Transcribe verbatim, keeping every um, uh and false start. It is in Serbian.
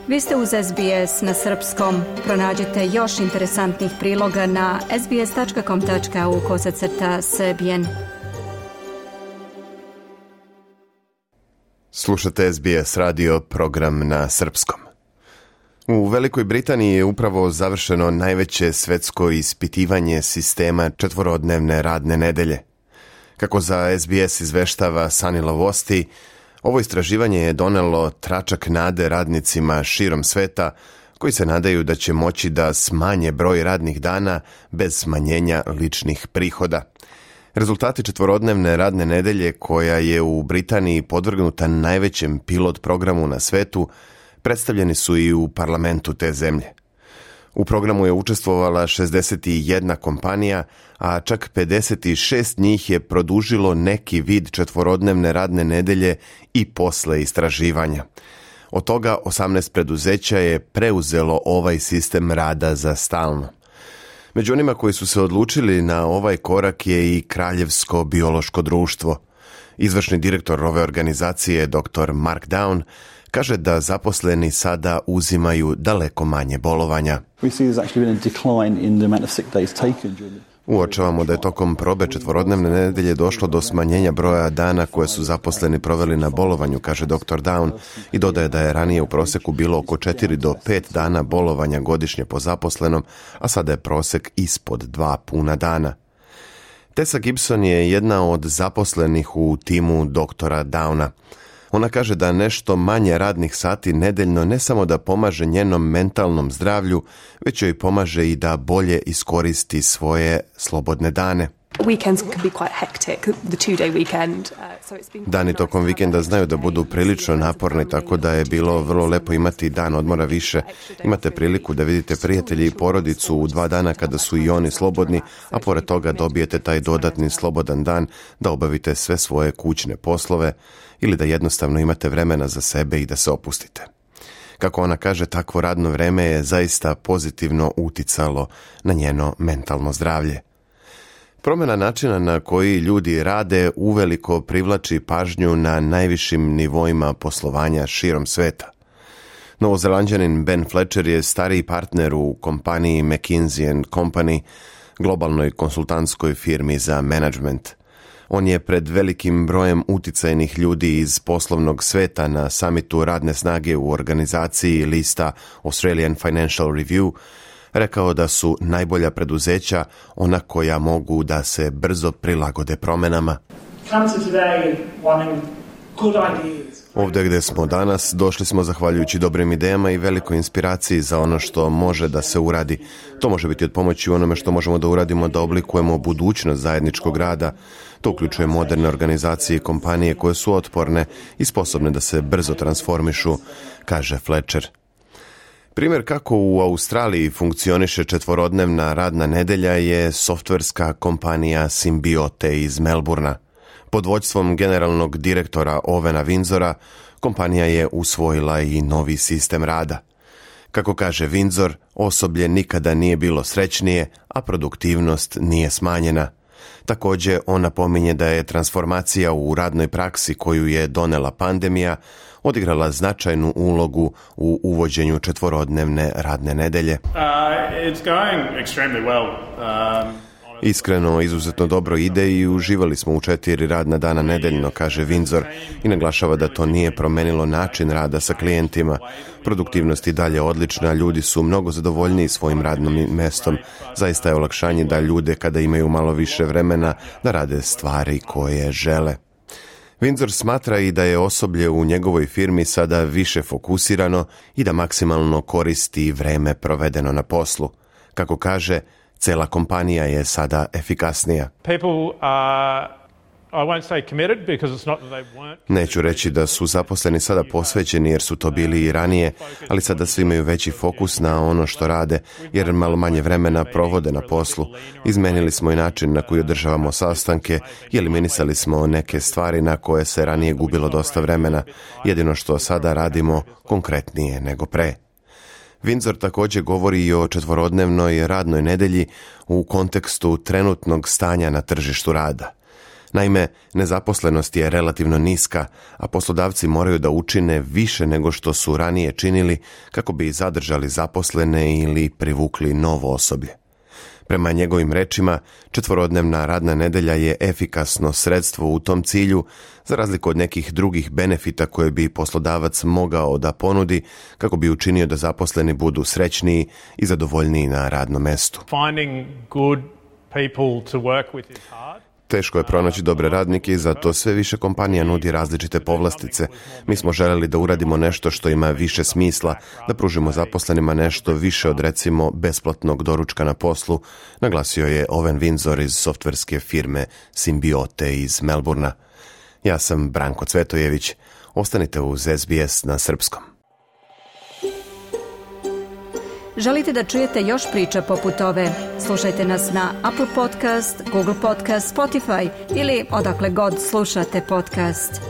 Vi ste uz S B S na srpskom. Pronađite još interesantnih priloga na sbs.com.au kosacrta srbijen. Slušate S B S radio, program na srpskom. U Velikoj Britaniji je upravo završeno najveće svetsko ispitivanje sistema četvorodnevne radne nedelje. Kako za S B S izveštava Sunny Lavosti, ovo istraživanje je donelo tračak nade radnicima širom sveta koji se nadaju da će moći da smanje broj radnih dana bez smanjenja ličnih prihoda. Rezultati četvorodnevne radne nedelje, koja je u Britaniji podvrgnuta najvećem pilot programu na svetu, predstavljeni su i u parlamentu te zemlje. U programu je učestvovala šezdeset jedna kompanija, a čak pedeset šest njih je produžilo neki vid četvorodnevne radne nedelje i posle istraživanja. Od toga osamnaest preduzeća je preuzelo ovaj sistem rada za stalno. Među onima koji su se odlučili na ovaj korak je i Kraljevsko biološko društvo. Izvršni direktor ove organizacije, doktor Mark Down, kaže da zaposleni sada uzimaju daleko manje bolovanja. Uočavamo da je tokom probe četvorodnevne nedelje došlo do smanjenja broja dana koje su zaposleni proveli na bolovanju, kaže doktor Down, i dodaje da je ranije u proseku bilo oko četiri do pet dana bolovanja godišnje po zaposlenom, a sada je prosek ispod dva puna dana. Tessa Gibson je jedna od zaposlenih u timu doktora Downa. Ona kaže da nešto manje radnih sati nedeljno ne samo da pomaže njenom mentalnom zdravlju, već joj pomaže i da bolje iskoristi svoje slobodne dane. Dani tokom vikenda znaju da budu prilično naporni, tako da je bilo vrlo lepo imati dan odmora više. Imate priliku da vidite prijatelji i porodicu u dva dana kada su i oni slobodni, a pored toga dobijete taj dodatni slobodan dan da obavite sve svoje kućne poslove ili da jednostavno imate vremena za sebe i da se opustite. Kako ona kaže, takvo radno vreme je zaista pozitivno uticalo na njeno mentalno zdravlje. Promjena načina na koji ljudi rade uveliko privlači pažnju na najvišim nivoima poslovanja širom sveta. Novozelanđanin Ben Fletcher je stariji partner u kompaniji McKinsey and Company, globalnoj konsultantskoj firmi za menadžment. On je pred velikim brojem uticajnih ljudi iz poslovnog sveta na samitu radne snage u organizaciji lista Australian Financial Review rekao da su najbolja preduzeća ona koja mogu da se brzo prilagode promjenama. Ovdje gdje smo danas došli smo zahvaljujući dobrim idejama i velikoj inspiraciji za ono što može da se uradi. To može biti od pomoći u onome što možemo da uradimo da oblikujemo budućnost zajedničkog rada. To uključuje moderne organizacije i kompanije koje su otporne i sposobne da se brzo transformišu, kaže Fletcher. Primjer kako u Australiji funkcioniše četvorodnevna radna nedelja je softverska kompanija Symbiote iz Melbourna. Pod vođstvom generalnog direktora Ovena Windsora, kompanija je usvojila i novi sistem rada. Kako kaže Windsor, osoblje nikada nije bilo srećnije, a produktivnost nije smanjena. Također, on napominje da je transformacija u radnoj praksi koju je donela pandemija odigrala značajnu ulogu u uvođenju četvorodnevne radne nedelje. Uh, it's going extremely well. Um... Iskreno, izuzetno dobro ide i uživali smo u četiri radna dana nedeljno, kaže Windsor, i naglašava da to nije promenilo način rada sa klijentima. Produktivnost i dalje odlična, ljudi su mnogo zadovoljniji svojim radnim mestom. Zaista je olakšanje da ljude, kada imaju malo više vremena, da rade stvari koje žele. Windsor smatra i da je osoblje u njegovoj firmi sada više fokusirano i da maksimalno koristi vreme provedeno na poslu. Kako kaže, cela kompanija je sada efikasnija. Neću reći da su zaposleni sada posvećeni jer su to bili i ranije, ali sada svi imaju veći fokus na ono što rade jer malo manje vremena provode na poslu. Izmenili smo i način na koji održavamo sastanke i eliminisali smo neke stvari na koje se ranije gubilo dosta vremena. Jedino što sada radimo konkretnije nego pre. Windsor također govori i o četvorodnevnoj radnoj nedelji u kontekstu trenutnog stanja na tržištu rada. Naime, nezaposlenost je relativno niska, a poslodavci moraju da učine više nego što su ranije činili kako bi zadržali zaposlene ili privukli novo osoblje. Prema njegovim rečima, četvorodnevna radna nedelja je efikasno sredstvo u tom cilju, za razliku od nekih drugih benefita koje bi poslodavac mogao da ponudi kako bi učinio da zaposleni budu srećniji i zadovoljniji na radnom mestu. Finding good people to work with is hard. Teško je pronaći dobre radnike i zato sve više kompanija nudi različite povlastice. Mi smo želeli da uradimo nešto što ima više smisla, da pružimo zaposlenima nešto više od recimo besplatnog doručka na poslu, naglasio je Owen Windsor iz softverske firme Symbiote iz Melbourna. Ja sam Branko Cvetojević. Ostanite uz S B S na srpskom. Želite da čujete još priča poput ove? Slušajte nas na Apple Podcast, Google Podcast, Spotify ili odakle god slušate podcast.